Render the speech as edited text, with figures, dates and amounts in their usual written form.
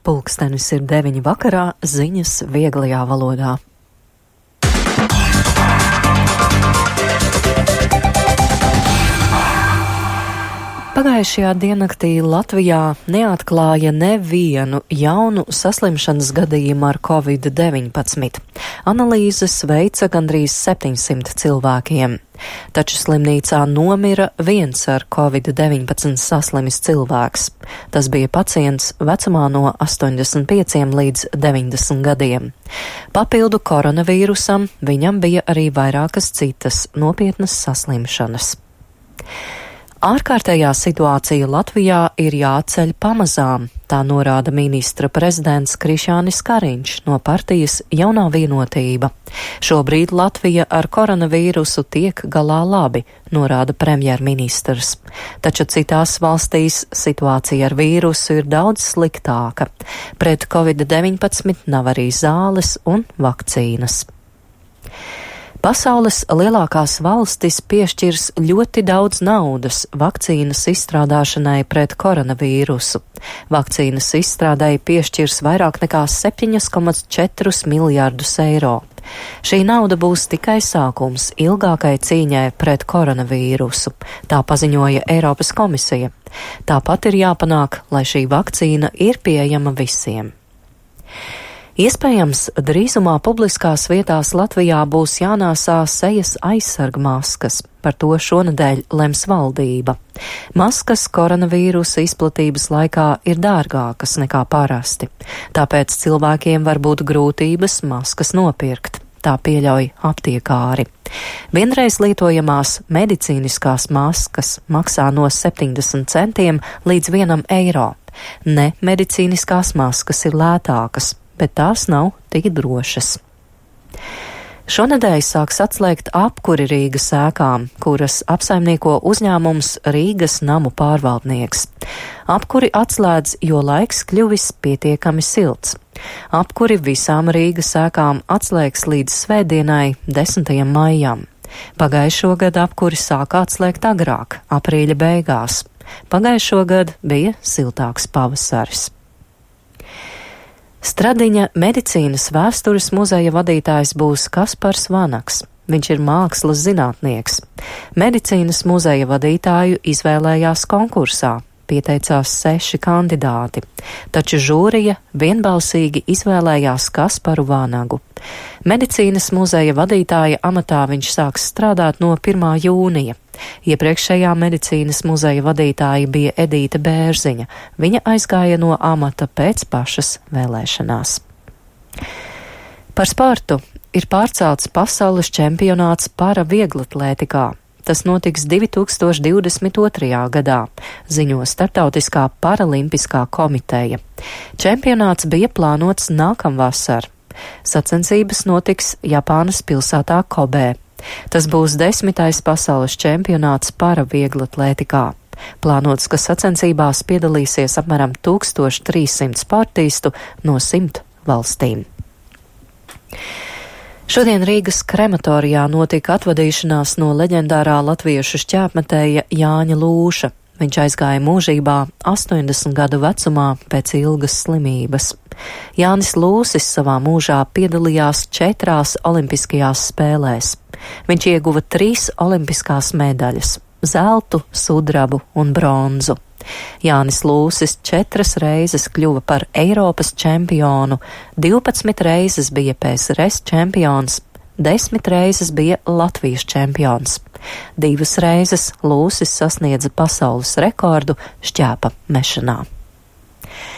Pulkstenis ir 9 vakarā, ziņas vieglajā valodā. Pagājušajā diennaktī Latvijā neatklāja nevienu jaunu saslimšanas gadījumu ar Covid-19. Analīzes veica gandrīz 700 cilvēkiem. Taču slimnīcā nomira viens ar Covid-19 saslimis cilvēks. Tas bija pacients vecumā no 85 līdz 90 gadiem. Papildu koronavīrusam viņam bija arī vairākas citas nopietnas saslimšanas. Ārkārtējā situācija Latvijā ir jāceļ pamazām, tā norāda ministra prezidents Krišjānis Kariņš no partijas Jaunā vienotība. Šobrīd Latvija ar koronavīrusu tiek galā labi, norāda premjerministrs. Taču citās valstīs situācija ar vīrusu ir daudz sliktāka. Pret Covid-19 nav arī zāles un vakcīnas. Pasaules lielākās valstis piešķirs ļoti daudz naudas vakcīnas izstrādāšanai pret koronavīrusu. Vakcīnas izstrādai piešķirs vairāk nekā 7,4 miljārdus eiro. Šī nauda būs tikai sākums ilgākai cīņai pret koronavīrusu, tā paziņoja Eiropas komisija. Tāpat ir jāpanāk, lai šī vakcīna ir pieejama visiem. Iespējams, drīzumā publiskās vietās Latvijā būs jānāsā sejas aizsarga maskas. Par to šonedēļ lems valdība. Maskas koronavīrusa izplatības laikā ir dārgākas nekā parasti, tāpēc cilvēkiem var būt grūtības maskas nopirkt. Tā pieļauj aptiekāri. Vienreiz lietojamās medicīniskās maskas maksā no 70 centiem līdz 1 eiro. Ne medicīniskās maskas ir lētākas, bet tās nav tik drošas. Šonedēļ sāks atslēgt apkuri Rīgas ēkām, kuras apsaimnieko uzņēmums Rīgas namu pārvaldnieks. Apkuri atslēdz, jo laiks kļuvis pietiekami silts. Apkuri visām Rīgas ēkām atslēgs līdz svētdienai, 10. maijam. Pagājušo gadu apkuri sāka atslēgt agrāk, aprīļa beigās. Pagājušo gadu bija siltāks pavasaris. Stradiņa medicīnas vēstures muzeja vadītājs būs Kaspars Vanaks. Viņš ir mākslas zinātnieks. Medicīnas muzeja vadītāju izvēlējās konkursā. Pieteicās 6 kandidāti, taču žūrija vienbalsīgi izvēlējās Kasparu Vanagu. Medicīnas muzeja vadītāja amatā viņš sāks strādāt no 1. jūnija. Iepriekšējā medicīnas muzeja vadītāja bija Edīte Bērziņa. Viņa aizgāja no amata pēc pašas vēlēšanās. Par sportu ir pārcelts pasaules čempionāts para vieglatlētikā. Tas notiks 2022. gadā, ziņo Startautiskā paralimpiskā komiteja. Čempionāts bija plānots nākamvasar. Sacensības notiks Japānas pilsētā Kobē. Tas būs 10. pasaules čempionāts para vieglatlētikā. Plānots, ka sacensībās piedalīsies apmēram 1300 sportistu no 100 valstīm. Šodien Rīgas krematorijā notika atvadīšanās no leģendārā latviešu šķēpmetēja Jāņa Lūša. Viņš aizgāja mūžībā 80 gadu vecumā pēc ilgas slimības. Jānis Lūsis savā mūžā piedalījās 4 olimpiskajās spēlēs. Viņš ieguva 3 olimpiskās medaļas - zeltu, sudrabu un bronzu. Jānis Lūsis 4 reizes kļuva par Eiropas čempionu, 12 reizes bija PSRS čempions, 10 reizes bija Latvijas čempions. 2 reizes Lūsis sasniedza pasaules rekordu šķēpa mešanā.